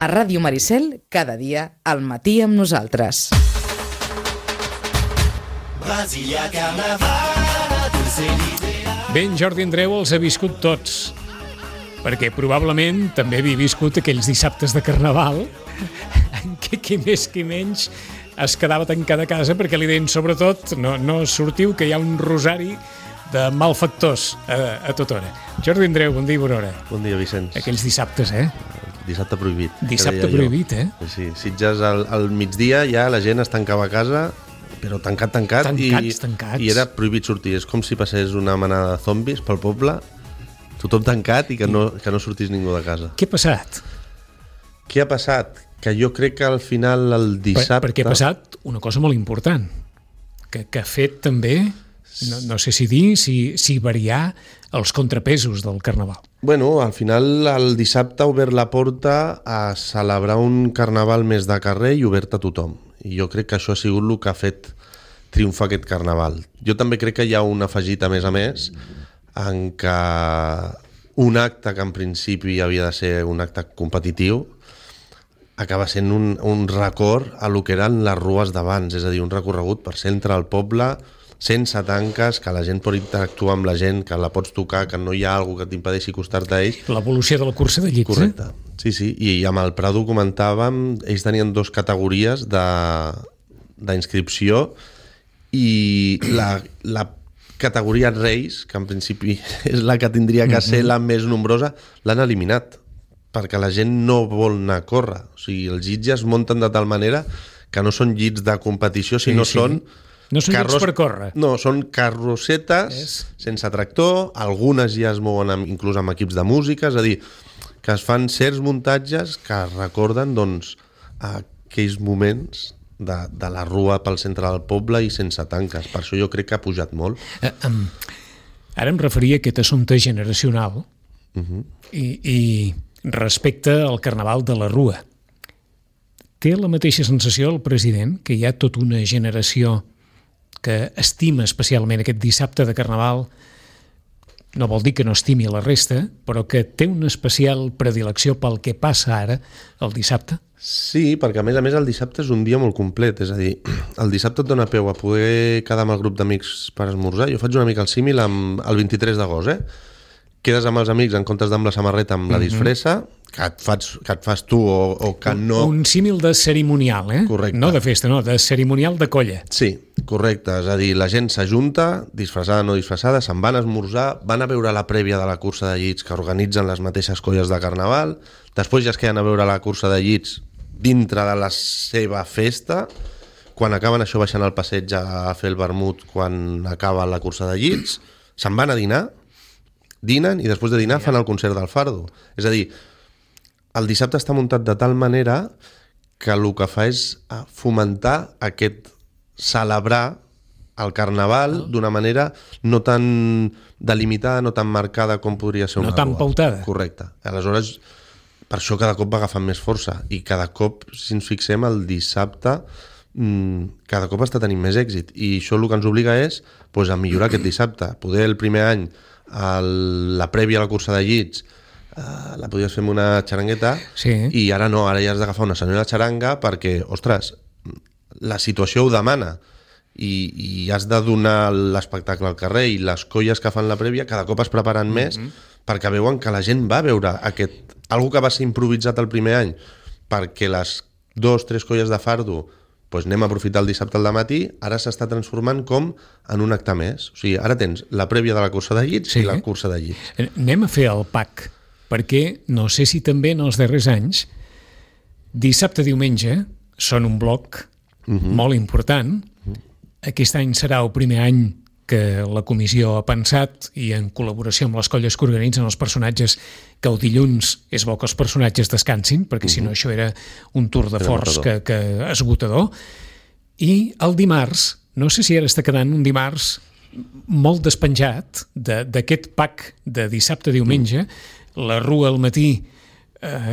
A Ràdio Maricel, cada dia, al matí amb nosaltres. Ben, Jordi Andreu els ha viscut tots, perquè probablement també havia viscut aquells dissabtes de Carnaval en què qui més qui menys es quedava tancat a casa perquè li deien sobretot no sortiu que hi ha un rosari de malfactors a tota hora. Jordi Andreu, bon dia i bona hora. Bon dia, Vicenç. Aquells dissabtes, Dissabte prohibit. Dissabte prohibit, Sí, Sitges al migdia ja la gent es tancava a casa, però tancat. Tancats. I era prohibit sortir. És com si passés una manada de zombis pel poble, tothom tancat i que no sortís ningú de casa. Què ha passat? Què ha passat? Que jo crec que al final el dissabte... Perquè ha passat una cosa molt important, que ha fet també, no sé si dir, si variar els contrapesos del Carnaval. Bueno, al final el dissabte ha obert la porta a celebrar un Carnaval més de carrer i obert a tothom. I jo crec que això ha sigut el que ha fet triomfar aquest Carnaval. Jo també crec que hi ha un afegit a més en què un acte que en principi havia de ser un acte competitiu acaba sent un record a lo que eren les rues d'abans, és a dir, un recorregut per centre del poble, sense tanques, que la gent pot interactuar amb la gent, que la pots tocar, que no hi ha alguna que t'impedeixi acostar-te a ells. L'evolució de la cursa de llits, correcte. Sí, i amb el Prado comentàvem, ells tenien 2 categories d'inscripció i la categoria Reis, que en principi és la que tindria que ser la més nombrosa, l'han eliminat, perquè la gent no vol anar a córrer. O sigui, els llits ja es munten de tal manera que no són llits de competició, sinó són... No són llits per córrer. No, són carrossetes sense tractor, algunes ja es mouen inclús amb equips de música, és a dir, que es fan certs muntatges que recorden doncs, aquells moments de la rua pel centre del poble i sense tanques. Per això jo crec que ha pujat molt. Ara em referia a aquest assumpte generacional i respecte al Carnaval de la Rua. Té la mateixa sensació el president, que hi ha tota una generació que estima especialment aquest dissabte de Carnaval, no vol dir que no estimi la resta, però que té una especial predilecció pel que passa ara el dissabte? Sí, perquè a més el dissabte és un dia molt complet, és a dir, el dissabte et dona peu a poder quedar amb el grup d'amics per esmorzar. Jo faig una mica el símil el 23 d'agost, Quedes amb els amics en comptes d'amb la samarreta amb la disfressa, que et fas tu o que no... Un símil de cerimonial, Correcte. No de festa, no, de cerimonial de colla. Sí, correcte, és a dir, la gent s'ajunta, disfressada o no disfressada, se'n van a esmorzar, van a veure la prèvia de la cursa de llits que organitzen les mateixes colles de Carnaval, després ja es queden a veure la cursa de llits dintre de la seva festa, quan acaben això baixant al passeig a fer el vermut quan acaba la cursa de llits, se'n van a dinar, dinen i després de dinar fan el concert del Fardo. És a dir, el dissabte està muntat de tal manera que el que fa és fomentar aquest celebrar el Carnaval d'una manera no tan delimitada, no tan marcada com podria ser una rua. No tan pautada. Correcte. Aleshores, per això cada cop va agafant més força i cada cop, si ens fixem, el dissabte cada cop està tenint més èxit i això el que ens obliga és a millorar aquest dissabte. Poder el primer any la prèvia a la cursa de llits la podies fer amb una xarangueta i ara no, ara ja has d'agafar una senyora xaranga perquè, ostres, la situació ho demana i has de donar l'espectacle al carrer i les colles que fan la prèvia cada cop es preparen més perquè veuen que la gent va veure algo que va ser improvisat el primer any perquè les 2-3 colles de fardo anem a aprofitar el dissabte al matí, ara s'està transformant com en un acte més. O sigui, ara tens la prèvia de la cursa de llits i la cursa de llits. Anem a fer el pack, perquè no sé si també en els darrers anys dissabte-diumenge són un bloc molt important. Aquest any serà el primer any que la comissió ha pensat i en col·laboració amb les colles que organitzen els personatges que el dilluns és bo que els personatges descansin, perquè si no això era un tour de forç que esgotador. I el dimarts, no sé si ara està quedant un dimarts molt despenjat d'aquest pack de dissabte-diumenge, la rua al matí,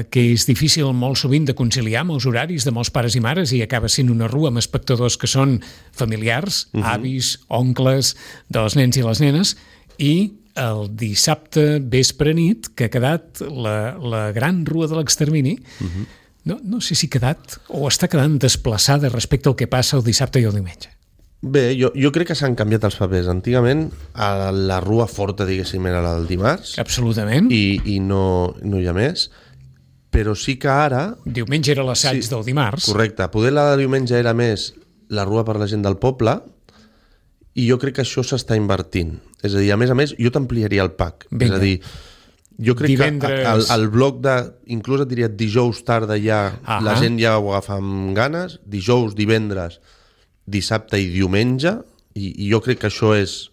que és difícil molt sovint de conciliar amb els horaris de molts pares i mares i acaba sent una rua amb espectadors que són familiars, avis, oncles, dels nens i les nenes, i el dissabte vespre nit, que ha quedat la gran rua de l'extermini, no sé si ha quedat o està quedant desplaçada respecte al que passa el dissabte i el diumenge. Bé, jo crec que s'han canviat els papers. Antigament, la rua forta, diguéssim, era la del dimarts. Absolutament. I no hi ha més. Però sí que ara... Diumenge era l'assaig del dimarts. Correcte. Poder la de diumenge era més la rua per la gent del poble i jo crec que això s'està invertint. És a dir, a més, jo t'ampliaria el pack. Vinga. És a dir, jo crec Divendres... que el bloc de... Inclús et diria dijous tarda ja, la gent ja ho agafa amb ganes. Dijous, divendres, dissabte i diumenge, i jo crec que això és,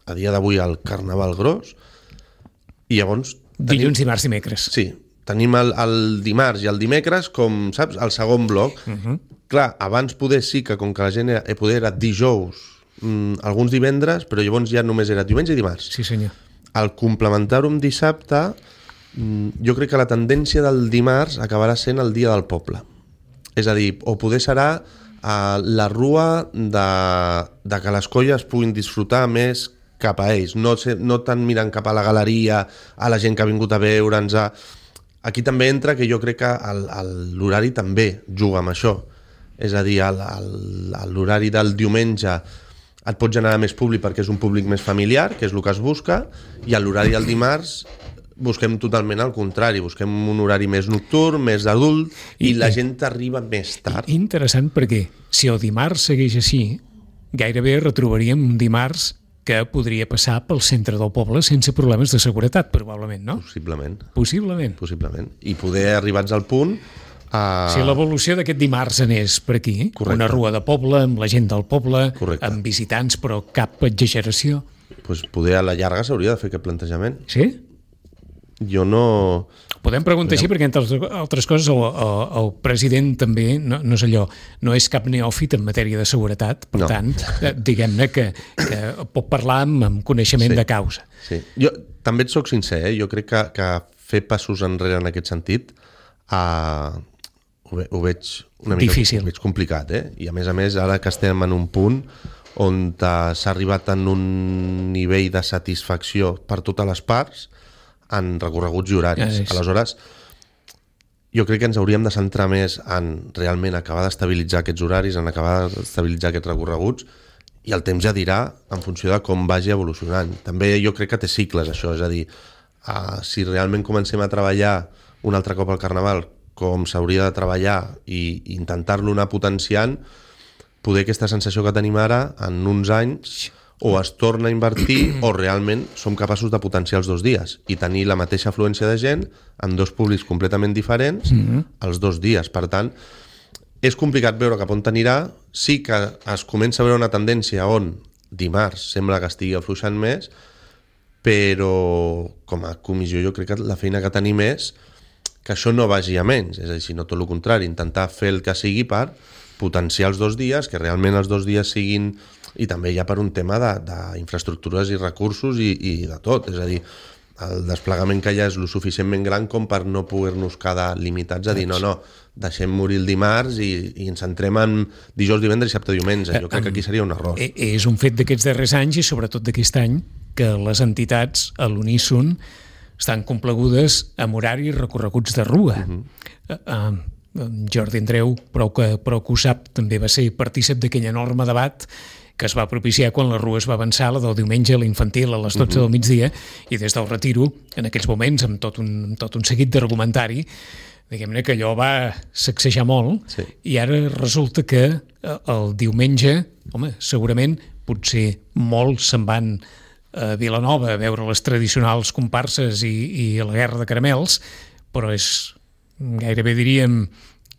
a dia d'avui, el carnaval gros. I llavors... Dilluns, dimarts, dimecres. Sí, tenim el dimarts i el dimecres com, saps, el segon bloc. Clar, abans poder sí que com que la gent era dijous, alguns divendres, però llavors ja només era diumenge i dimarts. Sí, senyor. Al complementar-ho amb dissabte, jo crec que la tendència del dimarts acabarà sent el dia del poble. És a dir, o poder serà la rua de que les colles puguin disfrutar més cap a ells, no tant mirant cap a la galeria, a la gent que ha vingut a veure'ns. Aquí també entra que jo crec que l'horari també juga amb això. És a dir, l'horari del diumenge et pot generar més públic perquè és un públic més familiar, que és el que es busca, i a l'horari del dimarts busquem totalment al contrari, busquem un horari més nocturn, més adult, i la gent arriba més tard. Interessant perquè si el dimarts segueix així, gairebé retrobaríem un dimarts que podria passar pel centre del poble sense problemes de seguretat, probablement, no? Possiblement. I poder arribats al punt... Si l'evolució d'aquest dimarts anés per aquí, correcte, una rua de poble, amb la gent del poble, correcte, amb visitants, però cap exageració... Pues poder a la llarga s'hauria de fer aquest plantejament. Sí? Jo no... Podem preguntar així perquè, entre altres coses, el president també no és allò, no és cap neòfit en matèria de seguretat, per tant, diguem-ne que pot parlar amb coneixement de causa. Sí. Jo també et soc sincer, jo crec que fer passos enrere en aquest sentit ho veig una mica difícil. Ho veig complicat, I a més, ara que estem en un punt on s'ha arribat en un nivell de satisfacció per totes les parts en recorreguts i horaris. Aleshores, jo crec que ens hauríem de centrar més en realment acabar d'estabilitzar aquests horaris, en acabar d'estabilitzar aquests recorreguts, i el temps ja dirà en funció de com vagi evolucionant. També jo crec que té cicles, això, és a dir, si realment comencem a treballar un altre cop al Carnaval com s'hauria de treballar i intentar-lo anar potenciant, poder aquesta sensació que tenim ara, en uns anys, o es torna a invertir o realment som capaços de potenciar els 2 dies i tenir la mateixa afluència de gent amb 2 públics completament diferents els 2 dies. Per tant, és complicat veure cap on anirà. Sí que es comença a veure una tendència on dimarts sembla que estigui afluixant més, però com a comissió jo crec que la feina que tenim és que això no vagi a menys, és a dir, sinó tot el contrari, intentar fer el que sigui per potenciar els 2 dies, que realment els 2 dies siguin... I també ja per un tema d'infraestructures i recursos i de tot, és a dir, el desplegament que hi ha és lo suficientment gran com per no poder-nos quedar limitats a dir no, deixem morir el dimarts i ens centrem en dijous, divendres, dissabte, diumenge. Jo crec que aquí seria un error. És un fet d'aquests darrers anys i sobretot d'aquest any que les entitats a l'uníson estan complegudes amb horaris recorreguts de rua. Jordi Andreu, prou que ho sap, també va ser partícip d'aquell enorme debat que es va propiciar quan la rua es va avançar, la del diumenge, la infantil, a les 12 del migdia, i des del retiro, en aquells moments, amb tot un seguit d'argumentari, diguem-ne que allò va sacsejar molt, i ara resulta que el diumenge, home, segurament, potser molts se'n van a Vilanova a veure les tradicionals comparses i la guerra de caramels, però és gairebé diríem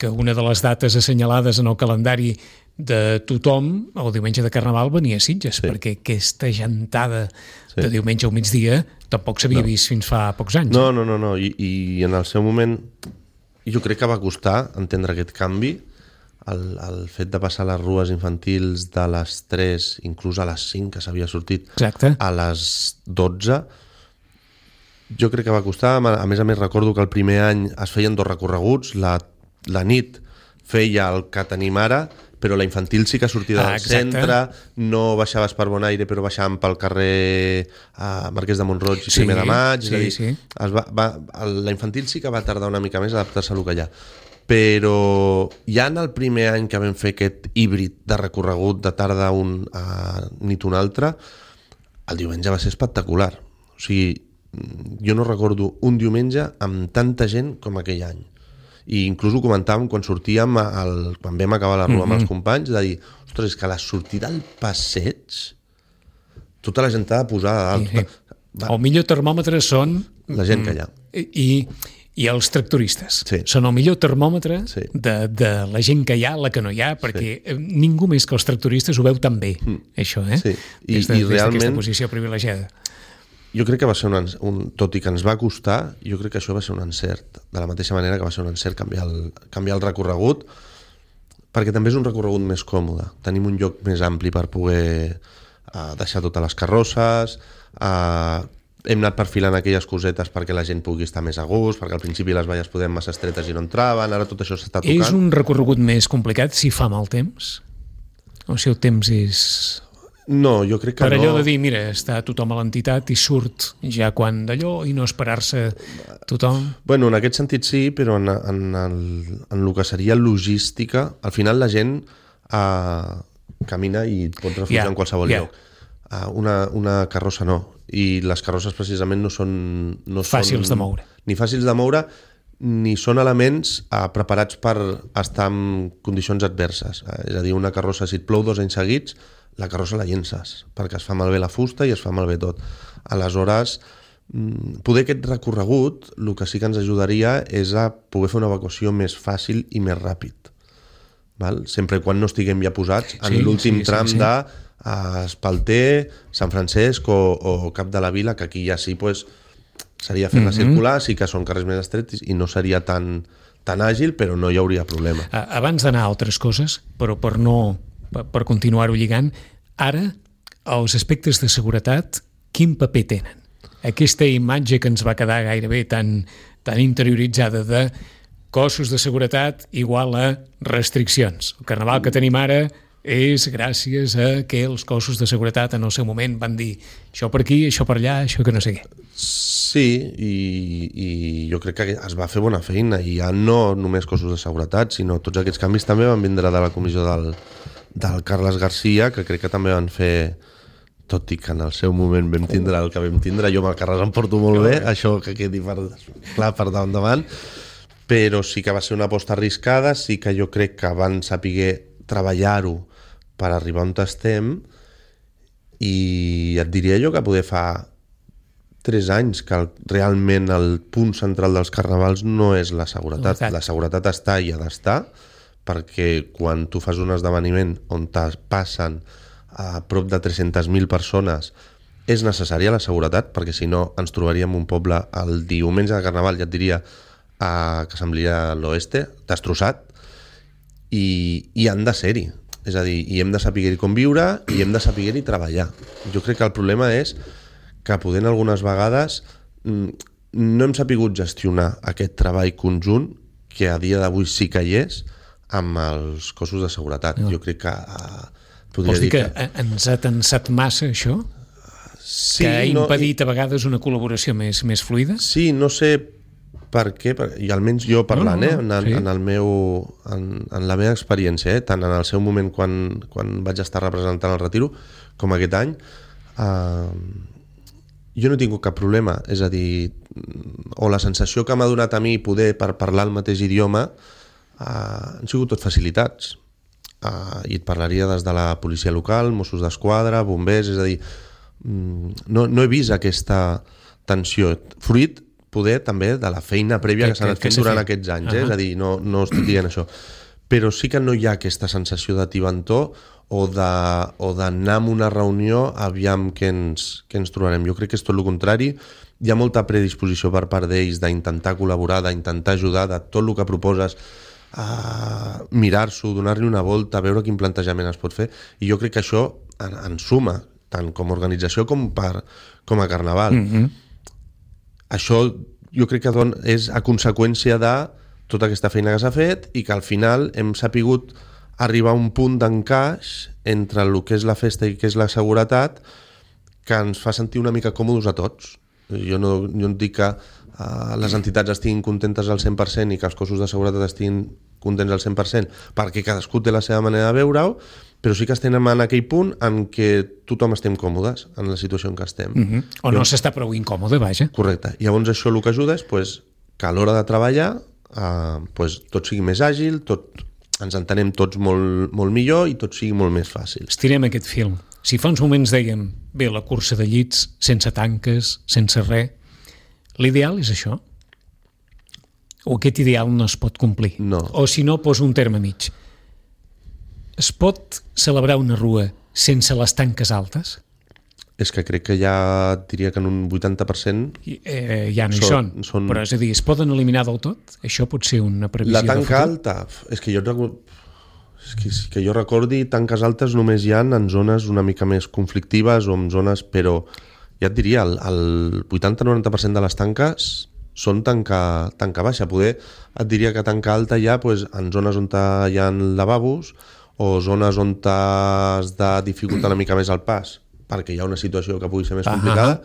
que una de les dates assenyalades en el calendari de tothom, el diumenge de Carnaval venia a Sitges, perquè aquesta gentada de diumenge al migdia tampoc s'havia vist fins fa pocs anys. No. I en el seu moment jo crec que va costar entendre aquest canvi, el fet de passar les rues infantils de les 3, inclús a les 5, que s'havia sortit, a les 12. Jo crec que va costar. A més, recordo que el primer any es feien 2 recorreguts, la nit feia el que tenim ara, però la infantil sí que sortia del centre, no baixaves per Bonaire, però baixàvem pel carrer Marquès de Montroig i 1 de maig. La infantil sí que va tardar una mica més a adaptar-se a lo que hi ha. però ja en el primer any que vam fer aquest híbrid de recorregut de tarda a nit un altre, el diumenge va ser espectacular. O sigui, jo no recordo un diumenge amb tanta gent com aquell any. I inclús ho comentàvem quan sortíem, quan vam acabar la rua amb els companys, de dir, ostres, és que a la sortida al passeig tota la gent ha de posar a dalt. Sí. El millor termòmetre són... La gent que hi ha. I els tractoristes. Sí. Són el millor termòmetre sí. de la gent que hi ha, la que no hi ha, perquè ningú més que els tractoristes ho veu tan bé, això, Sí. Des d'aquesta posició privilegiada. Jo crec que va ser tot i que ens va costar, jo crec que això va ser un encert, de la mateixa manera que va ser un encert canviar el recorregut, perquè també és un recorregut més còmode. Tenim un lloc més ampli per poder deixar totes les carrosses, hem anat perfilant aquelles cosetes perquè la gent pugui estar més a gust, perquè al principi les valles podem massa estretes i no entraven, ara tot això s'està tocant. És un recorregut més complicat si fa mal temps? O si el temps és... No, jo crec que no. Per allò de dir, mira, està tothom a l'entitat i surt ja quan d'allò i no esperar-se tothom... Bueno, en aquest sentit sí, però en el que seria logística, al final la gent camina i pot refugiar en qualsevol lloc. Una carrossa no, i les carrosses precisament no són fàcils de moure. Ni fàcils de moure, ni són elements preparats per estar en condicions adverses. És a dir, una carrossa, si et plou 2 anys seguits, la carrossa la llences, perquè es fa malbé la fusta i es fa malbé tot. Aleshores, poder aquest recorregut, el que sí que ens ajudaria és a poder fer una evacuació més fàcil i més ràpid. Val? Sempre quan no estiguem ja posats en l'últim tram de Espalter, Sant Francesc o Cap de la Vila, que aquí ja sí seria fer-la circular, sí que són carrers més estrets i no seria tan àgil, però no hi hauria problema. Abans d'anar a altres coses, però per continuar-ho lligant, ara els aspectes de seguretat, quin paper tenen? Aquesta imatge que ens va quedar gairebé tan interioritzada de cossos de seguretat igual a restriccions. El carnaval que tenim ara és gràcies a que els cossos de seguretat en el seu moment van dir això per aquí, això per allà, això que no sé què. Sí, i jo crec que es va fer bona feina, i ja no només cossos de seguretat, sinó tots aquests canvis també van vindre de la comissió del Carles Garcia, que crec que també van fer, tot i que en el seu moment vam tindre el que vam tindre, jo amb el Carles em porto molt bé, això que quedi clar per davant, però sí que va ser una aposta arriscada, sí que jo crec que van saber treballar-ho per arribar on estem, i et diria jo que poder fa 3 anys que realment el punt central dels carnavals no és la seguretat. La seguretat està i ha d'estar, perquè quan tu fas un esdeveniment on passen a prop de 300.000 persones és necessària la seguretat, perquè si no ens trobaríem un poble el diumenge de carnaval, ja et diria, que semblaria l'oeste, destrossat, i han de ser-hi. És a dir, i hem de saber-hi conviure i hem de saber-hi treballar. Jo crec que el problema és que podent algunes vegades no hem sapigut gestionar aquest treball conjunt que a dia d'avui sí que hi és amb els cossos de seguretat. Jo crec que vols dir que ens ha tensat massa això? Sí, que ha impedit a vegades una col·laboració més fluida? Sí, no sé per què, i almenys jo parlant, en la meva experiència, tant en el seu moment quan vaig estar representant el Retiro, com aquest any, jo no he tingut cap problema. És a dir, o la sensació que m'ha donat a mi poder per parlar el mateix idioma han sigut tot facilitats. I et parlaria des de la policia local, Mossos d'Esquadra, bombers, és a dir, no he vist aquesta tensió. Fruit poder també de la feina prèvia que s'ha anat fent durant aquests anys, és a dir, no estic dient això, però sí que no hi ha aquesta sensació de tibantó o d'anar a una reunió aviam què ens trobarem. Jo crec que és tot el contrari, hi ha molta predisposició per part d'ells d'intentar col·laborar, d'intentar ajudar, de tot el que proposes, mirar-s'ho, donar-li una volta, veure quin plantejament es pot fer, i jo crec que això en suma, tant com a organització com a carnaval. Això jo crec que és a conseqüència de tota aquesta feina que s'ha fet i que al final hem sapigut arribar a un punt d'encaix entre el que és la festa i el que és la seguretat que ens fa sentir una mica còmodes a tots. Jo no dic que les entitats estiguin contentes al 100% i que els cossos de seguretat estiguin contents al 100%, perquè cadascú té la seva manera de veure-ho, però sí que estem en aquell punt en què tothom estem còmodes en la situació en què estem. O no s'està prou incòmode, vaja. Correcte. Llavors això el que ajuda és que a l'hora de treballar tot sigui més àgil, ens entenem tots molt millor i tot sigui molt més fàcil. Estirem aquest fil. Si fa uns moments dèiem, bé, la cursa de llits, sense tanques, sense res, l'ideal és això? O aquest ideal no es pot complir? No. O si no, poso un terme mig. Es pot celebrar una rua sense les tanques altes? És que crec que ja diria que en un 80% ja no hi són. Però és a dir, es poden eliminar del tot? Això pot ser una previsió de futur? La tanca alta? És que jo recordi, tanques altes només hi ha en zones una mica més conflictives o en zones, però ja et diria, el 80-90% de les tanques són tanca baixa. Poder et diria que tanca alta hi ha en zones on hi ha lavabos o zones on has de dificultar una mica més el pas perquè hi ha una situació que pugui ser més complicada,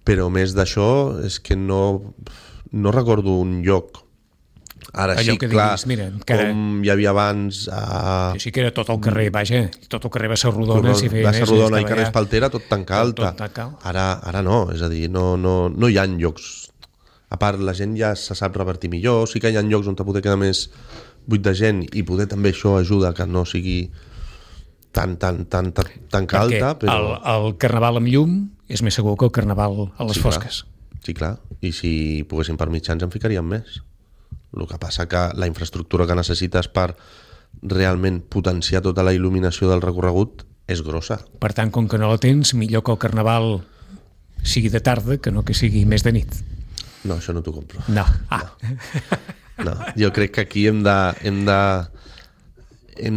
però més d'això és que no recordo un lloc. Ara allò sí, que clar, diguis, mira, com hi havia abans... Que sí que era tot el carrer, vaja, tot el carrer Bassa Rodona, si feia Bassa Rodona i carrer Espaltera, tot tanca alta. Ara no, és a dir, no hi ha llocs. A part, la gent ja se sap revertir millor, sí que hi ha llocs on poder quedar més buit de gent i poder també això ajuda que no sigui tan alta, però... el carnaval amb llum és més segur que el carnaval a les fosques. Sí, clar. I si poguéssim per mitjans en ficaríem més. El que passa que la infraestructura que necessites per realment potenciar tota la il·luminació del recorregut és grossa. Per tant, com que no la tens, millor que el carnaval sigui de tarda que no que sigui més de nit. No, això no t'ho compro. No. No. Jo crec que aquí hem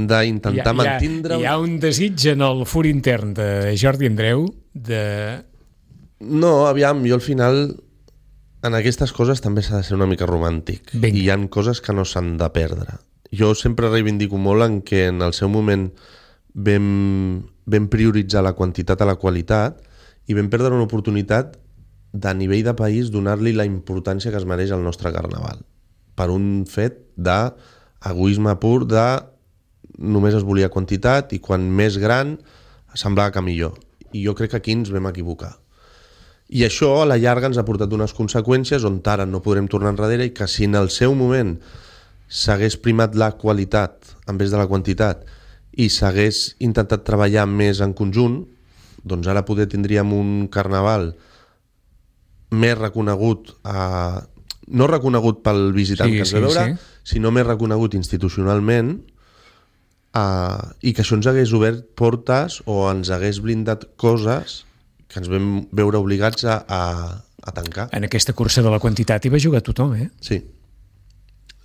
d'intentar mantindre... Hi ha un desig en el fur intern de Jordi Andreu de... No, aviam, jo al final en aquestes coses també s'ha de ser una mica romàntic. Vinga. I hi ha coses que no s'han de perdre. Jo sempre reivindico molt en què en el seu moment vam prioritzar la quantitat a la qualitat i vam perdre una oportunitat de nivell de país donar-li la importància que es mereix al nostre carnaval. Per un fet d'egoisme pur de només es volia quantitat i quan més gran semblava que millor. I jo crec que aquí ens vam equivocar. I això a la llarga ens ha portat unes conseqüències on ara no podrem tornar enrere i que si en el seu moment s'hagués primat la qualitat en vez de la quantitat i s'hagués intentat treballar més en conjunt, doncs ara poder tindríem un carnaval més reconegut, no reconegut pel visitant que ens ve a veure, sinó més reconegut institucionalment, i que això ens hagués obert portes o ens hagués blindat coses que ens vam veure obligats a tancar. En aquesta cursa de la quantitat hi va jugar tothom, eh? Sí.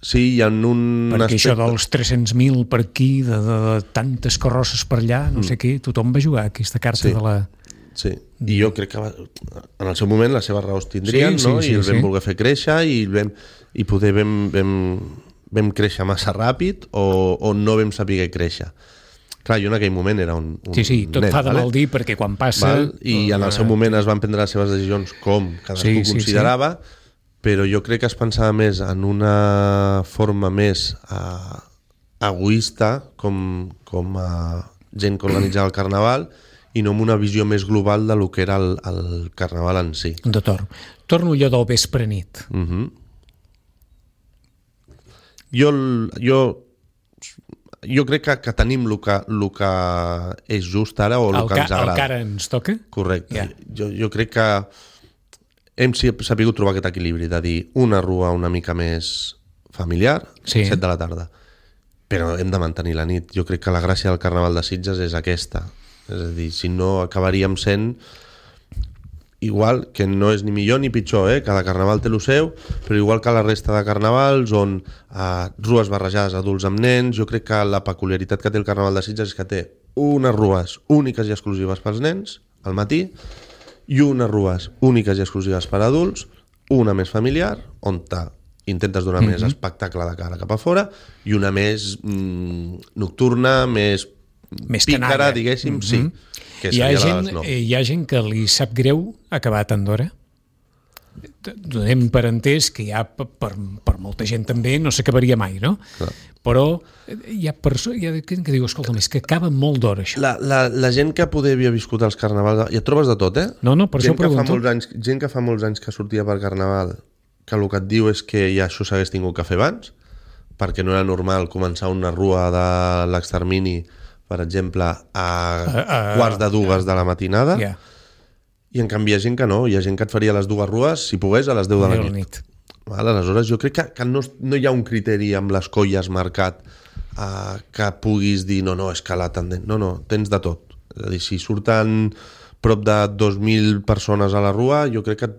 Sí, hi ha un perquè això dels 300.000 per aquí, de tantes carrosses per allà, no sé què, tothom va jugar aquesta carta de la... Sí, i jo crec que en el seu moment les seves raons tindrien, no? I el vam voler fer créixer i poder vam créixer massa ràpid o no vam saber créixer. Clar, jo en aquell moment era un tot nen, fa de mal dir perquè quan passa... I en el seu moment es van prendre les seves decisions com cadascú considerava, però jo crec que es pensava més en una forma més egoista com a gent que organitzava el carnaval i no amb una visió més global de lo que era el carnaval en si. D'acord. Torno allò del vespre nit. Jo crec que tenim el que és just ara o el que ens agrada. El que ara ens toca? Correcte. Jo crec que hem sabut trobar aquest equilibri de dir una rua una mica més familiar, 7 de la tarda, però hem de mantenir la nit. Jo crec que la gràcia del Carnaval de Sitges és aquesta. És a dir, si no acabaríem sent igual, que no és ni millor ni pitjor, cada carnaval té el seu, però igual que la resta de carnavals on rues barrejades adults amb nens, jo crec que la peculiaritat que té el Carnaval de Sitges és que té unes rues úniques i exclusives pels nens al matí i unes rues úniques i exclusives per adults, una més familiar on intentes donar més espectacle de cara cap a fora i una més nocturna, més pícara, diguéssim, sí. Hi ha gent que li sap greu acabar tan d'hora? donem per entès que ja per molta gent també no s'acabaria mai, no? Clar. Però hi ha persones que diu, escolta, és que acaba molt d'hora això. La gent que poder havia viscut els carnavals, i et trobes de tot, No, per això ho pregunto. Gent que fa molts anys que sortia per carnaval, que el que et diu és que ja això s'hagués tingut que fer abans, perquè no era normal començar una rua de l'extermini, per exemple, a quarts de 2 de la matinada, i en canvi hi ha gent que no, hi ha gent que et faria les 2 rues, si pogués, a les 10 de la nit. Aleshores, jo crec que no hi ha un criteri amb les colles marcat que puguis dir no, és que la tendent... No, tens de tot. És a dir, si surten prop de 2.000 persones a la rua, jo crec que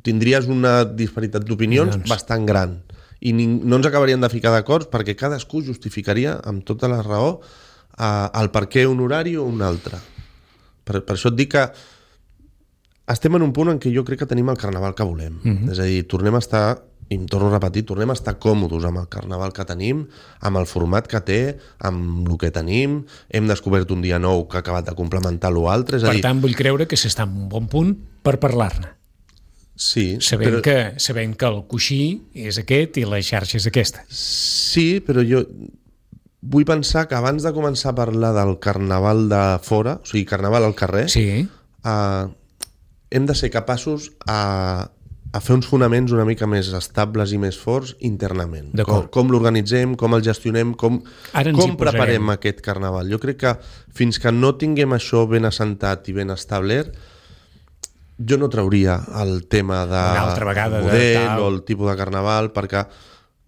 tindries una disparitat d'opinions bastant gran. I no ens acabaríem de ficar d'acord perquè cadascú justificaria amb tota la raó el per què un horari o un altre. Per això et dic que estem en un punt en què jo crec que tenim el carnaval que volem. És a dir, tornem a estar, i em torno a repetir, tornem a estar còmodes amb el carnaval que tenim, amb el format que té, amb el que tenim, hem descobert un dia nou que ha acabat de complementar l'altre. Per tant, vull creure que s'està en un bon punt per parlar-ne. Sí. Sabent que el coixí és aquest i la xarxa és aquesta. Sí, però jo vull pensar que abans de començar a parlar del carnaval de fora, o sigui, carnaval al carrer, hem de ser capaços a fer uns fonaments una mica més estables i més forts internament. Com l'organitzem, com el gestionem, com preparem aquest carnaval. Jo crec que fins que no tinguem això ben assentat i ben establert, jo no trauria el tema de model o el tipus de carnaval, perquè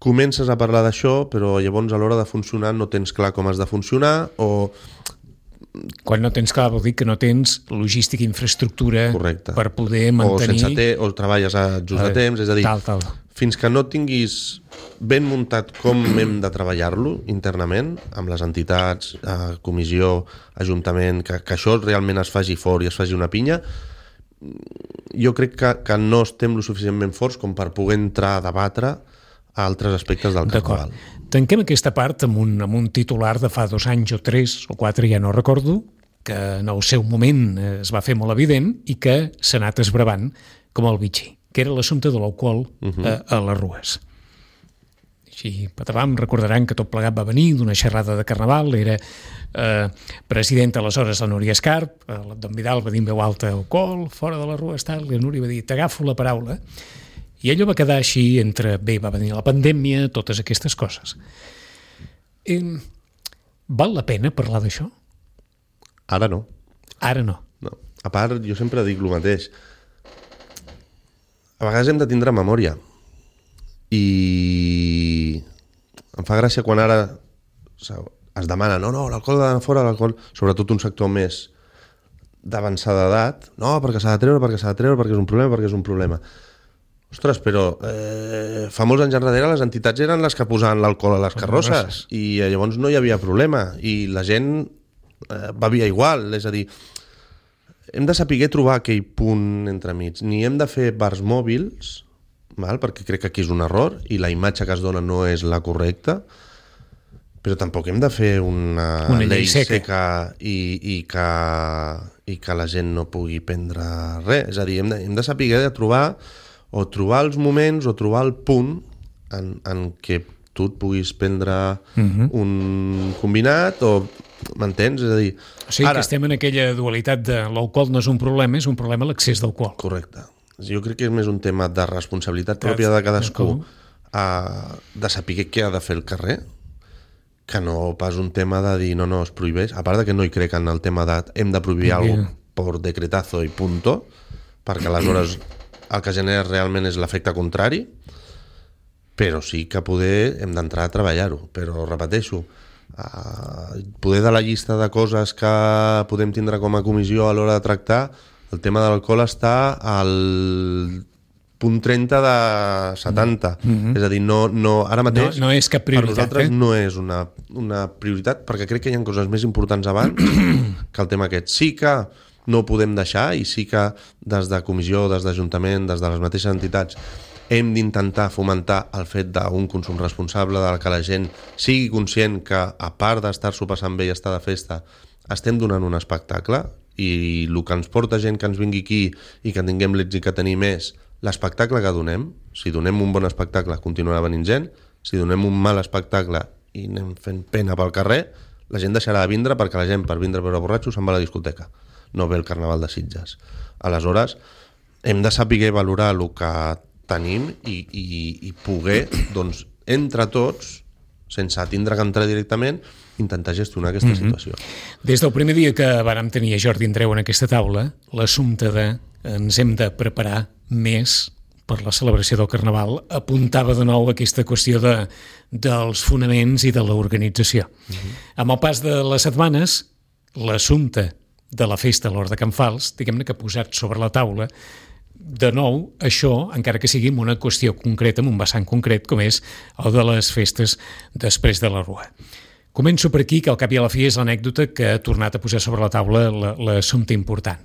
comences a parlar d'això, però llavors a l'hora de funcionar no tens clar com has de funcionar o... Quan no tens clar vol dir que no tens logística i infraestructura per poder mantenir... O treballes a just de temps, és a dir, fins que no tinguis ben muntat com hem de treballar-lo internament, amb les entitats, comissió, ajuntament, que això realment es faci fort i es faci una pinya, jo crec que no estem lo suficientment forts com per poder entrar a debatre altres aspectes del carnaval. Tanquem aquesta part amb un titular de fa 2 anys o 3 o 4, ja no recordo, que en el seu moment es va fer molt evident i que s'ha anat esbravant com el bitxí, que era l'assumpte de l'alcohol a les rues. Així, patavàm, recordaran que tot plegat va venir d'una xerrada de carnaval, era presidenta aleshores la Núria Escarp, l'Abdon Vidal va dir en veu alta alcohol, fora de les rues, tal, i la Núria va dir t'agafo la paraula, i allò va quedar així entre, va venir la pandèmia, totes aquestes coses. Val la pena parlar d'això? Ara no. Ara no. A part, jo sempre dic el mateix. A vegades hem de tindre memòria. I em fa gràcia quan ara es demana, no, l'alcohol de fora, l'alcohol, sobretot un sector més d'avançada edat, no, perquè s'ha de treure, perquè és un problema. Ostres, però fa molts anys enrere les entitats eren les que posaven l'alcohol a les carrosses i llavors no hi havia problema i la gent bevia igual, és a dir, hem de saber trobar aquell punt entremig, ni hem de fer bars mòbils, perquè crec que aquí és un error i la imatge que es dona no és la correcta, però tampoc hem de fer una llei seca i que la gent no pugui prendre res, és a dir, hem de saber trobar els moments o trobar el punt en què tu et puguis prendre un combinat o m'entens? És a dir... O sigui que estem en aquella dualitat de l'alcohol no és un problema, és un problema l'accés d'alcohol. Correcte. Jo crec que és més un tema de responsabilitat pròpia de cadascú de saber què ha de fer el carrer que no pas un tema de dir no, es prohibeix, a part de que no hi crec en el tema de hem de prohibir alguna cosa per decretazo i punto, perquè aleshores el que genera realment és l'efecte contrari, però sí que poder hem d'entrar a treballar-ho, però repeteixo, poder de la llista de coses que podem tindre com a comissió a l'hora de tractar, el tema de l'alcohol està al punt 30 de 70, és a dir, ara mateix no és cap prioritat, per nosaltres no és una prioritat, perquè crec que hi ha coses més importants abans que el tema aquest. Sí que no ho podem deixar i sí que des de comissió, des d'Ajuntament, des de les mateixes entitats hem d'intentar fomentar el fet d'un consum responsable, de que la gent sigui conscient que a part d'estar-s'ho passant bé i estar de festa estem donant un espectacle i el que ens porta gent que ens vingui aquí i que tinguem l'èxit que tenim és l'espectacle que donem. Si donem un bon espectacle, continuarà venint gent. Si donem un mal espectacle i anem fent pena pel carrer, la gent deixarà de vindre, perquè la gent, per vindre a veure borratxos, se'n va a la discoteca, no ve el Carnaval de Sitges. Aleshores, hem de saber valorar el que tenim i poder, doncs, entre tots, sense tindre que entrar directament, intentar gestionar aquesta situació. Des del primer dia que vàrem tenir a Jordi Andreu en aquesta taula, l'assumpte de ens hem de preparar més per la celebració del Carnaval apuntava de nou aquesta qüestió dels fonaments i de l'organització. Amb el pas de les setmanes, l'assumpte de la festa a l'Hort de Can Fals, diguem-ne que ha posat sobre la taula de nou això, encara que sigui una qüestió concreta, en un vessant concret, com és el de les festes després de la Rua. Començo per aquí, que al cap i a la fi és l'anècdota que ha tornat a posar sobre la taula l'assumpte important.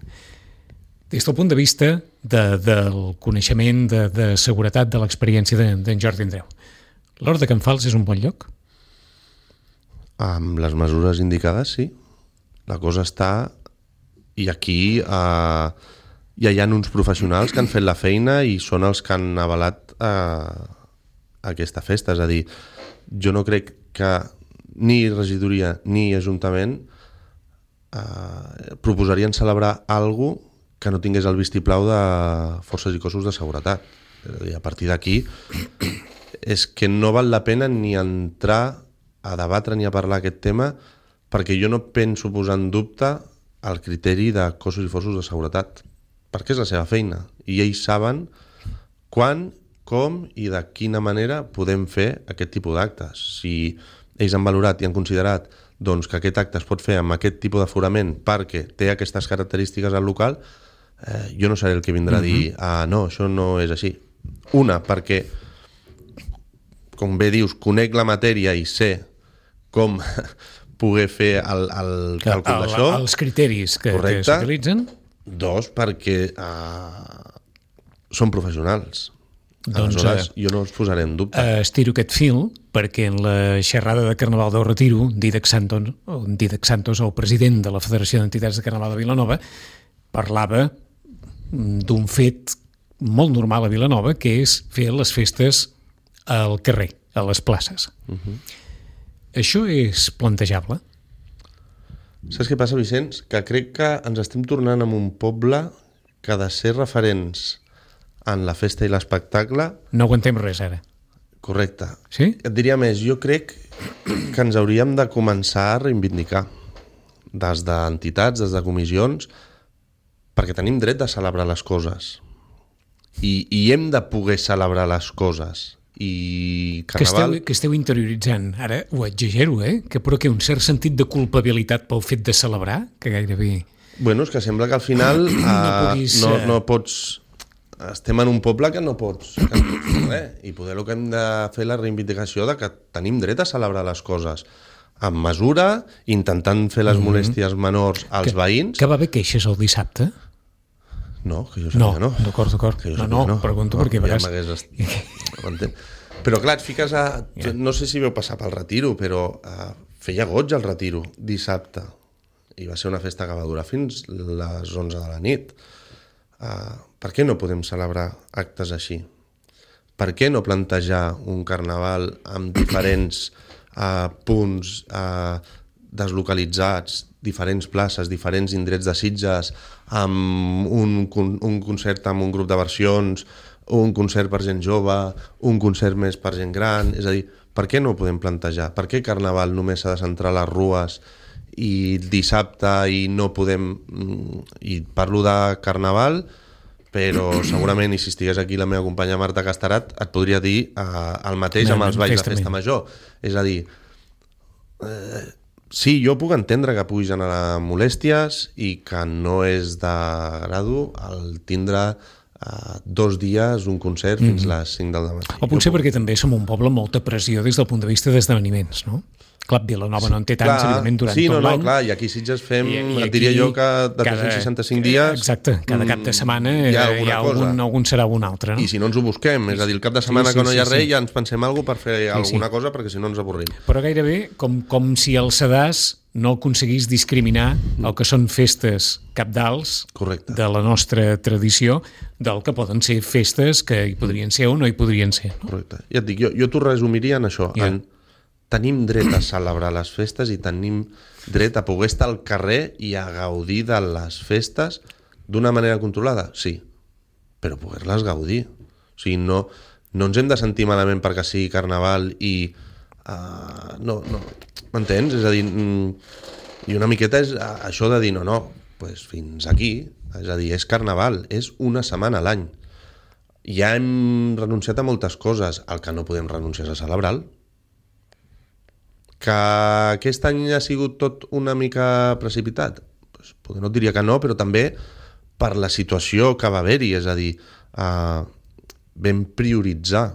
Des del punt de vista del coneixement, de seguretat, de l'experiència d'en Jordi Andreu, l'Hort de Can Fals és un bon lloc? Amb les mesures indicades, sí. La cosa està... I aquí hi ha uns professionals que han fet la feina i són els que han avalat aquesta festa. És a dir, jo no crec que ni regidoria ni ajuntament proposarien celebrar alguna cosa que no tingués el vistiplau de forces i cossos de seguretat. És a dir, a partir d'aquí és que no val la pena ni entrar a debatre ni a parlar aquest tema, perquè jo no penso posar en dubte el criteri de cossos i forços de seguretat, perquè és la seva feina i ells saben quan, com i de quina manera podem fer aquest tipus d'actes. Si ells han valorat i han considerat doncs, que aquest acte es pot fer amb aquest tipus d'aforament perquè té aquestes característiques al local, jo no seré el que vindrà a dir no, això no és així. Una, perquè com bé dius, conec la matèria i sé com poder fer el càlcul d'això. Els criteris que s'utilitzen. Dos, perquè són professionals. Aleshores, jo no els posaré en dubte. Estiro aquest fil perquè en la xerrada de Carnaval del Retiro, Dídac Santos, el president de la Federació d'Entitats de Carnaval de Vilanova, parlava d'un fet molt normal a Vilanova, que és fer les festes al carrer, a les places. Això és plantejable? Saps què passa, Vicenç? Que crec que ens estem tornant en un poble que ha de ser referents en la festa i l'espectacle... No aguantem res, ara. Correcte. Sí? Et diria més, jo crec que ens hauríem de començar a reivindicar des d'entitats, des de comissions, perquè tenim dret de celebrar les coses. I hem de poder celebrar les coses. I Carnaval... Que esteu interioritzant, ara ho exagero, però que un cert sentit de culpabilitat pel fet de celebrar, que gairebé... Bueno, és que sembla que al final no pots... Estem en un poble que no pots fer res, i poder el que hem de fer la reivindicació de que tenim dret a celebrar les coses amb mesura, intentant fer les molèsties menors als veïns. Que va haver queixes el dissabte? No, que jo sabia no. D'acord. No, pregunto perquè veràs... Però clar, et fiques a... No sé si veu passar pel Retiro, però feia goig el Retiro dissabte. I va ser una festa que va durar fins les 11 de la nit. Per què no podem celebrar actes així? Per què no plantejar un carnaval amb diferents punts deslocalitzats, diferents places, diferents indrets de Sitges, amb un concert amb un grup de versions, un concert per gent jove, un concert més per gent gran? És a dir, per què no ho podem plantejar? Per què Carnaval només s'ha de centrar a les rues i dissabte i no podem... I parlo de Carnaval, però segurament, i si estigués aquí la meva companya Marta Castarat, et podria dir el mateix amb els balls de festa major. És a dir, sí, jo puc entendre que puguis generar molèsties i que no és de grado el tindre 2 dies un concert fins a les 5 del matí. O potser perquè també som un poble amb molta pressió des del punt de vista d'esdeveniments, no? Clar, Vilanova no en té tants, evidentment, durant tot l'any. Clar, i aquí a Sitges fem, et diria jo que de 365 dies... Exacte, cada cap de setmana hi ha algun serà un altre, no? I si no ens ho busquem, és a dir, el cap de setmana que no hi ha res, ja ens pensem alguna cosa per fer alguna cosa, perquè si no ens avorrim. Però gairebé com si el sedàs no aconseguís discriminar el que són festes cabdals de la nostra tradició del que poden ser festes que hi podrien ser o no hi podrien ser. No? Correcte. Ja et dic, jo t'ho resumiria en això. Tenim dret a celebrar les festes i tenim dret a poder estar al carrer i a gaudir de les festes d'una manera controlada? Sí, però poder-les gaudir. O sigui, no ens hem de sentir malament perquè sigui carnaval i... no, m'entens? És a dir, i una miqueta és això de dir, pues fins aquí, és a dir, és carnaval, és una setmana a l'any. Ja hem renunciat a moltes coses, el que no podem renunciar és a celebrar-lo. Que aquest any ha sigut tot una mica precipitat? Pues, no et diria que no, però també per la situació que va haver-hi, és a dir, vam prioritzar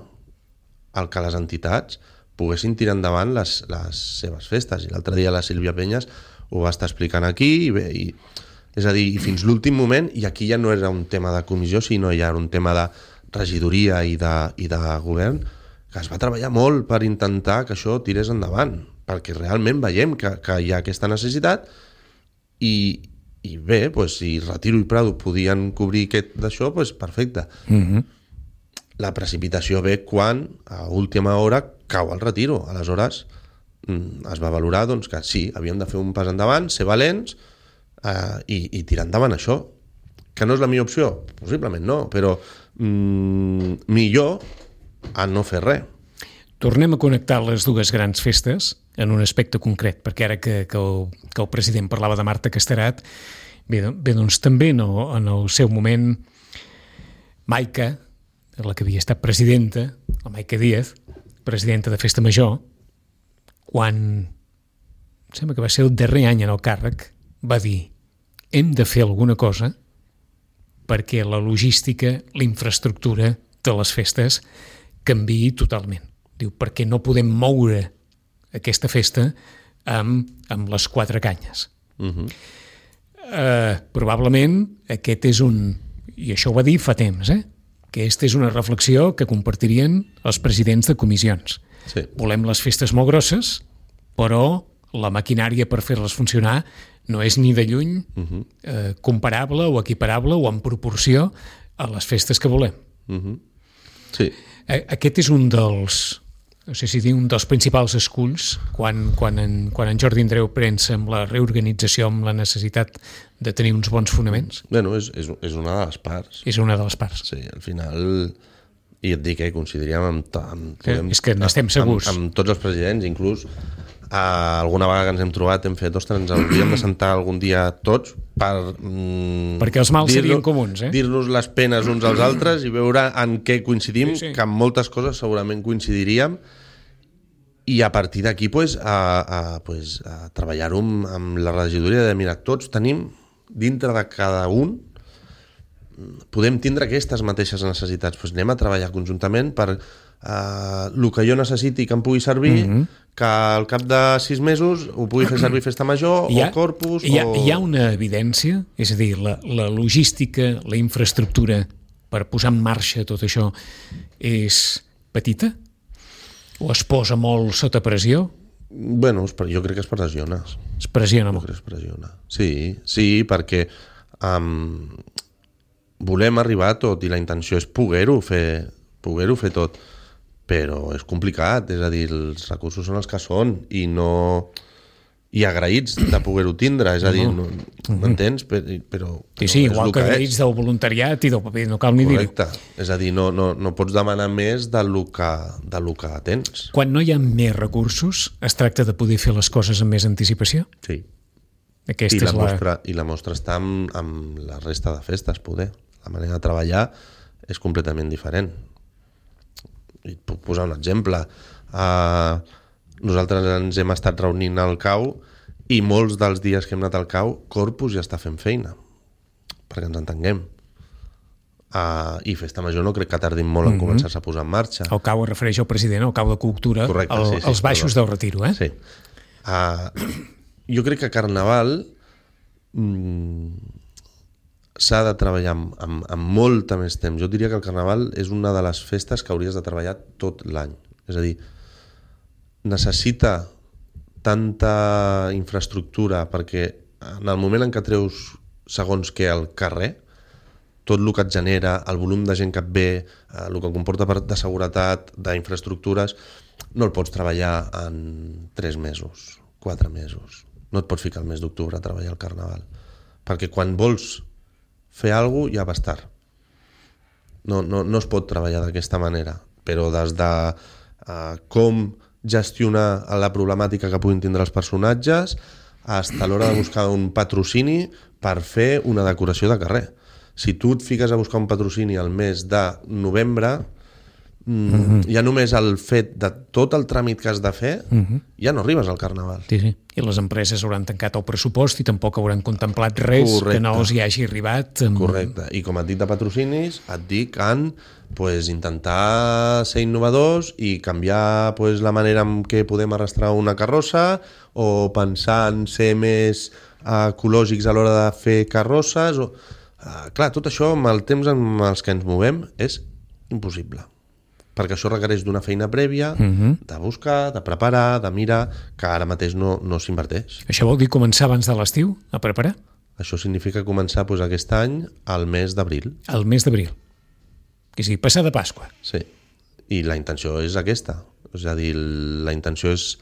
el que les entitats poguessin tirar endavant les seves festes. I l'altre dia la Sílvia Penyes ho va estar explicant aquí, és a dir, i fins l'últim moment, i aquí ja no era un tema de comissió, sinó ja era un tema de regidoria i de govern, que es va treballar molt per intentar que això tirés endavant, perquè realment veiem que hi ha aquesta necessitat i bé, pues, si Retiro i Prado podien cobrir d'això, pues, perfecte. La precipitació ve quan a última hora cau el Retiro. Aleshores es va valorar doncs, que sí, havíem de fer un pas endavant, ser valents i tirar endavant això. Que no és la millor opció? Possiblement no, però millor a no fer res. Tornem a connectar les dues grans festes en un aspecte concret, perquè ara que el president parlava de Marta Casterat, bé doncs també en el seu moment Maica, la que havia estat presidenta, la Maica Díaz, presidenta de Festa Major, quan sembla que va ser el darrer any en el càrrec, va dir: hem de fer alguna cosa perquè la logística, la infraestructura de les festes canviï totalment. Diu, perquè no podem moure aquesta festa amb les quatre canyes. Probablement aquest és i això ho va dir fa temps, aquesta és una reflexió que compartirien els presidents de comissions. Sí. Volem les festes molt grosses, però la maquinària per fer-les funcionar no és ni de lluny comparable o equiparable o en proporció a les festes que volem. Sí. Aquest és un dels, no sé si dir, un dels principals esculls quan en Jordi Andreu pensa amb la reorganització, amb la necessitat de tenir uns bons fonaments. Bueno, és una de les parts. És una de les parts. Sí, al final, i et dic, coincidiríem és que n'estem segurs. Amb tots els presidents, inclús alguna vegada que ens hem trobat hem fet, ostres, ens hauríem de sentar algun dia tots perquè els mals serien comuns, dir-nos les penes uns als altres i veure en què coincidim, sí. Que en moltes coses segurament coincidiríem, i a partir d'aquí pues, a treballar-ho amb la regidoria de mirar, tots tenim dintre de cada un podem tindre aquestes mateixes necessitats, pues anem a treballar conjuntament per el que jo necessiti que em pugui servir, que al cap de 6 mesos ho pugui fer servir Festa Major o Corpus. Hi ha una evidència, és a dir, la logística, la infraestructura per posar en marxa tot això és petita? O es posa molt sota pressió? Bueno, jo crec que es pressiona. Es pressiona molt? Jo crec que es pressiona. Sí, perquè volem arribar a tot i la intenció és poder-ho fer tot, però és complicat, és a dir, els recursos són els que són i agraïts de poder-ho tindre, és a dir, m'entens? Però sí, igual que agraïts del voluntariat i del paper, no cal ni dir-ho. Correcte, és a dir, no pots demanar més del que tens. Quan no hi ha més recursos, es tracta de poder fer les coses amb més anticipació? Sí. I la mostra està amb la resta de festes, poder. La manera de treballar és completament diferent. I et puc posar un exemple. Nosaltres ens hem estat reunint al CAU i molts dels dies que hem anat al CAU, Corpus ja està fent feina, perquè ens entenguem. I Festa Major no crec que tardin molt en començar-se a posar en marxa. El CAU es refereix al president, el CAU de Cultura, correcte, els baixos del Retiro, Sí. Jo crec que Carnaval s'ha de treballar amb molta més temps. Jo diria que el Carnaval és una de les festes que hauries de treballar tot l'any. És a dir, necessita tanta infraestructura perquè en el moment en què treus segons què al carrer, tot el que et genera, el volum de gent que et ve, el que comporta de seguretat, d'infraestructures, no el pots treballar en 3 mesos, 4 mesos. No et pots ficar el mes d'octubre a treballar al Carnaval. Perquè quan vols fer alguna cosa ja vas tard. No es pot treballar d'aquesta manera, però des de com gestionar la problemàtica que puguin tindre els personatges fins a l'hora de buscar un patrocini per fer una decoració de carrer. Si tu et fiques a buscar un patrocini al mes de novembre, ja només el fet de tot el tràmit que has de fer, ja no arribes al Carnaval. Sí. I les empreses hauran tancat el pressupost i tampoc hauran contemplat res que no els hi hagi arribat. Correcte. I com et dic de patrocinis, et dic en intentar ser innovadors i canviar la manera en què podem arrastrar una carrossa o pensar en ser més ecològics a l'hora de fer carrosses. Clar, tot això amb el temps en els que ens movem és impossible, perquè això requereix d'una feina prèvia, de buscar, de preparar, de mirar, que ara mateix no s'inverteix. Això vol dir començar abans de l'estiu a preparar? Això significa començar aquest any al mes d'abril. Al mes d'abril. És a dir, passar de Pasqua. Sí, i la intenció és aquesta. És a dir, la intenció és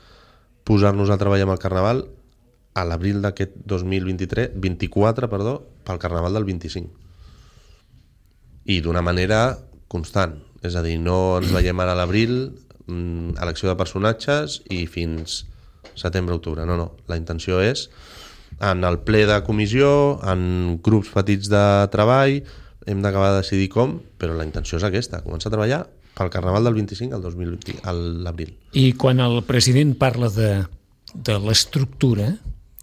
posar-nos a treballar amb el Carnaval a l'abril d'aquest 2024, pel Carnaval del 25. I d'una manera constant. És a dir, no ens veiem ara a l'abril, elecció de personatges i fins setembre-octubre. No. La intenció és en el ple de comissió, en grups petits de treball, hem d'acabar de decidir com, però la intenció és aquesta, començar a treballar pel Carnaval del 25 al 2020, a l'abril. I quan el president parla de l'estructura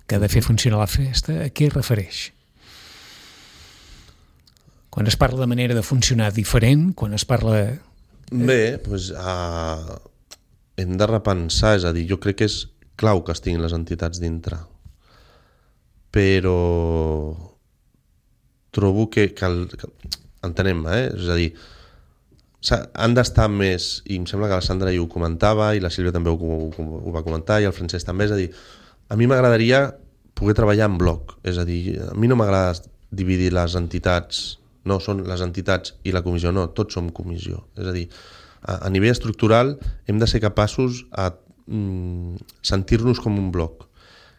que ha de fer funcionar la festa, a què es refereix? Quan es parla de manera de funcionar diferent, quan es parla... Bé, hem de repensar, és a dir, jo crec que és clau que estiguin les entitats dintre, però trobo que entenem, és a dir, han d'estar més, i em sembla que la Sandra ho comentava, i la Sílvia també ho va comentar, i el Francesc també, és a dir, a mi m'agradaria poder treballar en bloc, és a dir, a mi no m'agrada dividir les entitats, no són les entitats i la comissió, no, tots som comissió, és a dir, a nivell estructural hem de ser capaços a sentir-nos com un bloc,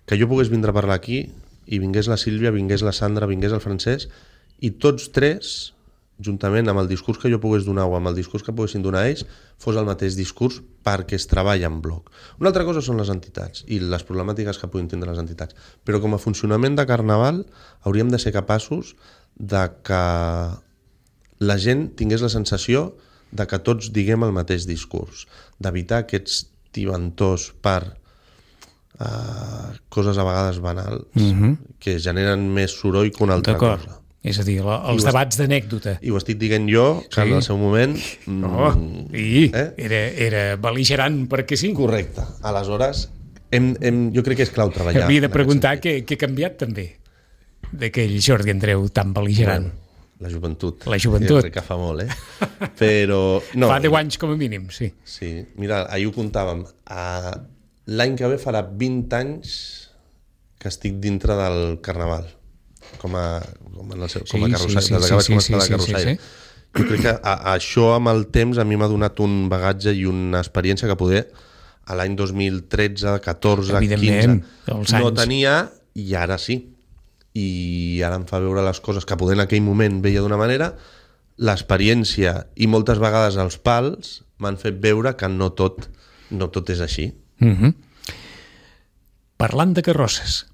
que jo pogués vindre a parlar aquí i vingués la Sílvia, vingués la Sandra, vingués el Francesc, i tots tres, juntament amb el discurs que jo pogués donar o amb el discurs que poguessin donar ells, fos el mateix discurs perquè es treballa en bloc. Una altra cosa són les entitats i les problemàtiques que puguin tindre les entitats, però com a funcionament de Carnaval hauríem de ser capaços de que la gent tingués la sensació de que tots diguem el mateix discurs, d'evitar aquests tibantors per coses a vegades banals que generen més soroll que una altra cosa. És a dir, els debats d'anècdota. I ho estic dient jo, que en el seu moment... Era bel·ligerant perquè sí. Correcte. Aleshores, jo crec que és clau treballar. Havia de preguntar què ha canviat també d'aquell Jordi Andreu tan bel·ligerant. La joventut. La joventut. Jo crec que fa molt, Però... Fa 10 anys com a mínim, sí. Sí. Mira, ahir ho comptàvem. L'any que ve farà 20 anys que estic dintre del Carnaval. Com a carrossaire. Jo crec que això amb el temps a mi m'ha donat un bagatge i una experiència que poder a l'any 2013, 14, 15 no tenia i ara sí. I ara em fa veure les coses que poder en aquell moment veia d'una manera, l'experiència i moltes vegades els pals m'han fet veure que no tot és així. Parlant de carrosses,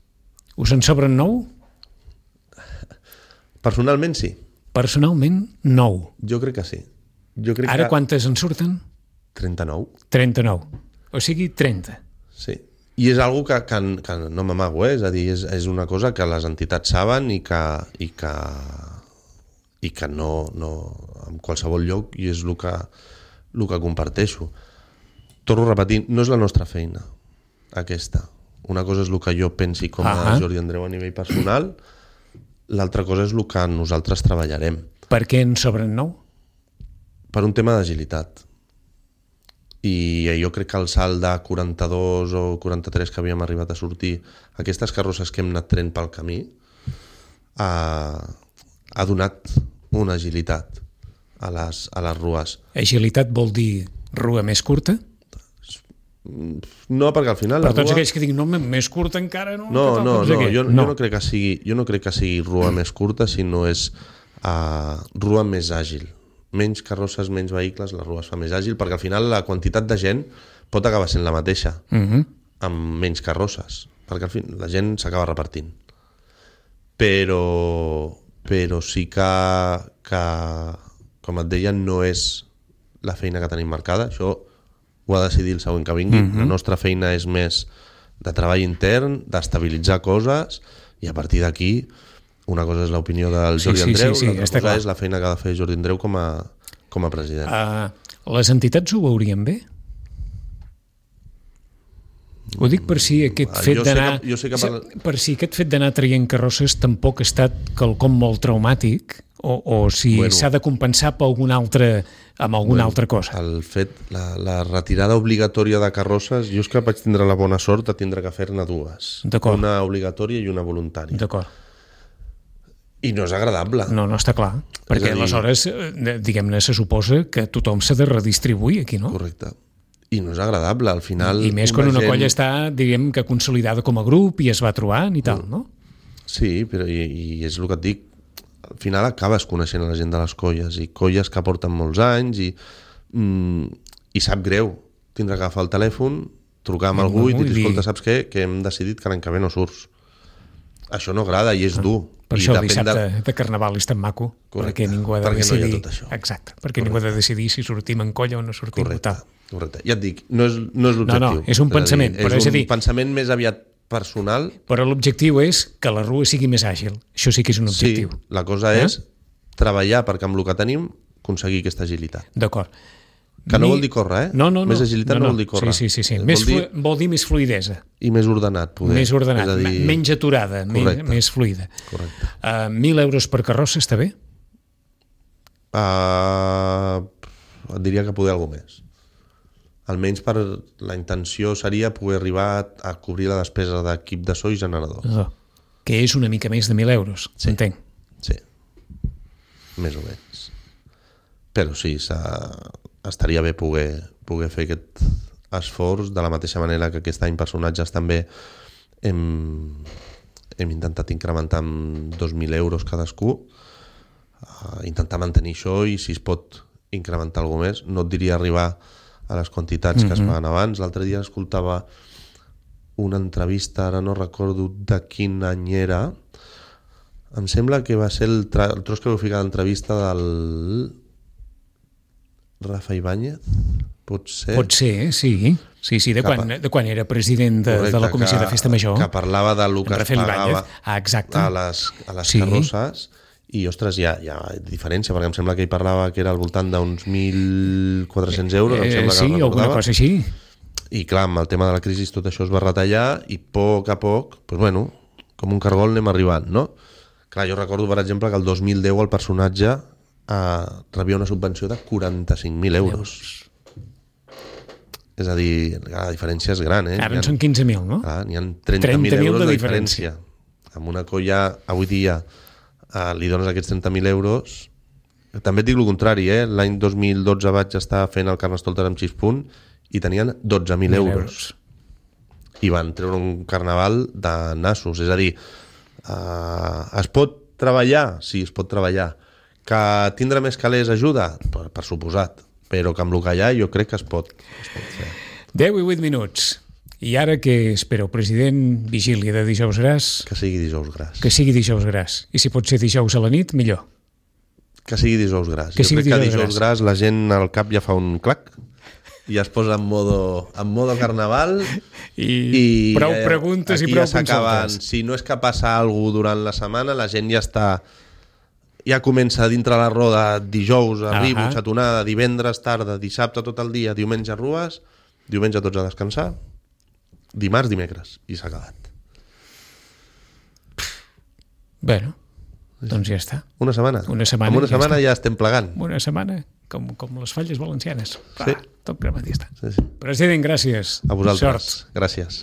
us en sobren 9? Personalment sí. Personalment 9. Jo crec que sí. Ara quantes en surten? 39. 39. O sigui 30. Sí. I és algo que no m'amago, és a dir, és una cosa que les entitats saben i que no en qualsevol lloc, i és el que comparteixo. Torno a repetir, no és la nostra feina aquesta. Una cosa és el que jo pensi com a Jordi Andreu a nivell personal, l'altra cosa és el que nosaltres treballarem. Per què en sobren 9? Per un tema d'agilitat. I jo crec que el salt de 42 o 43 que havíem arribat a sortir, aquestes carrosses que hem anat traient pel camí, ha donat una agilitat a les rues. Agilitat vol dir rua més curta? No, perquè al final per tots aquells que diuen, no, més curta encara no? Jo no crec que sigui rua més curta, sinó és rua més àgil. Menys carrosses, menys vehicles, la rua es fa més àgil, perquè al final la quantitat de gent pot acabar sent la mateixa, amb menys carrosses, perquè al final la gent s'acaba repartint. Però sí que, com et deia, no és la feina que tenim marcada. Això ho ha de decidir el següent que vingui. La nostra feina és més de treball intern, d'estabilitzar coses, i a partir d'aquí una cosa és l'opinió del Jordi Andreu, l'altra cosa és la feina que ha de fer Jordi Andreu com a president. Les entitats ho veurien bé? Ho dic per si aquest fet d'anar... Per si aquest fet d'anar traient carrosses tampoc ha estat quelcom molt traumàtic, o si s'ha de compensar per amb alguna altra cosa. El fet, la retirada obligatòria de carrosses, jo és que vaig tindre la bona sort de tindre que fer-ne dues. Una obligatòria i una voluntària. D'acord. I no és agradable. No està clar. Perquè aleshores, diguem-ne, se suposa que tothom s'ha de redistribuir aquí, no? Correcte. I no és agradable, al final... I més quan una colla està, diguem, que consolidada com a grup i es va trobant i tal, no? Sí, però i és el que et dic, al final acabes coneixent la gent de les colles, i colles que porten molts anys, i sap greu tindre que agafar el telèfon, trucar amb algú i dir, escolta, saps què? Que hem decidit que l'any que ve no surts. Això no agrada i és dur. Per això el dissabte de Carnaval és tan maco. Correcte. Perquè ningú ha de decidir... no hi ha tot això. Exacte, perquè ningú ha de decidir si sortim en colla o no sortim. Correcte. Ja et dic, no és l'objectiu. No, és un pensament. És un pensament més aviat personal. Però l'objectiu és que la rua sigui més àgil. Això sí que és un objectiu. Sí, la cosa és treballar perquè amb el que tenim aconseguir aquesta agilitat. D'acord. Que no vol dir córrer, eh? No. Més agilitat no vol dir córrer. Sí. Vol dir més fluidesa. I més ordenat, poder. Més ordenat, menys aturada, més fluida. Correcte. 1.000 euros per carrossa està bé? Et diria que poder alguna més. Almenys per la intenció seria poder arribar a cobrir la despesa d'equip de so i generador. Que és una mica més de 1.000 euros, s'entenc? Sí, més o menys. Però sí, estaria bé poder fer aquest esforç, de la mateixa manera que aquest any personatges també hem intentat incrementar amb 2.000 euros cadascú, intentar mantenir això, i si es pot incrementar alguna més. No et diria arribar a les quantitats que es paguen abans. L'altre dia escoltava una entrevista, ara no recordo de quin any era, em sembla que va ser el tros que vau ficar d'entrevista del Rafa Ibáñez, pot ser, sí, de quan era president de la Comissió de Festa Major, que parlava de lo que es pagava a les carrosses, i ostres, hi ha diferència, perquè em sembla que ell parlava que era al voltant d'uns 1.400 euros, em sembla que sí, alguna cosa així. I clar, amb el tema de la crisi tot això es va retallar, i a poc a poc, doncs bueno, com un cargol anem arribant, no? Clar, jo recordo, per exemple, que el 2010 el personatge rebia una subvenció de 45.000 euros. És a dir, la diferència és gran, eh? Ara en són 15.000, no? N'hi ha 30.000 euros de diferència. Amb una colla, avui dia, li dones aquests 30.000 euros. També et dic el contrari, eh? L'any 2012 vaig estar fent el Carnestoltes amb Xispunt i tenien 12.000 euros. I van treure un carnaval de nassos. És a dir, es pot treballar? Sí, es pot treballar. Que tindre més calés ajuda? Per suposat. Però que amb el que hi ha jo crec que es pot fer. 10 i 8 minuts. I ara què espereu, president? Vigília de dijous gras? Que sigui dijous gras. Que sigui dijous gras. I si pot ser dijous a la nit, millor. Que sigui dijous gras. Jo crec que dijous gras la gent al cap ja fa un clac i es posa en modo carnaval i prou preguntes i prou consultes. Si no és que passa alguna cosa durant la setmana, la gent ja comença dintre la roda dijous, arribo, xatonada, divendres, tarda, dissabte tot el dia, diumenge rues, diumenge tots a descansar dimarts, dimecres, i s'ha acabat. Bueno, doncs ja està. Una setmana. Una setmana, Amb una ja setmana està. ja estem plegant. Una setmana, com les falles valencianes. Sí. Tot cremat i ja està. Sí. President, gràcies. A vosaltres. Sort. Gràcies.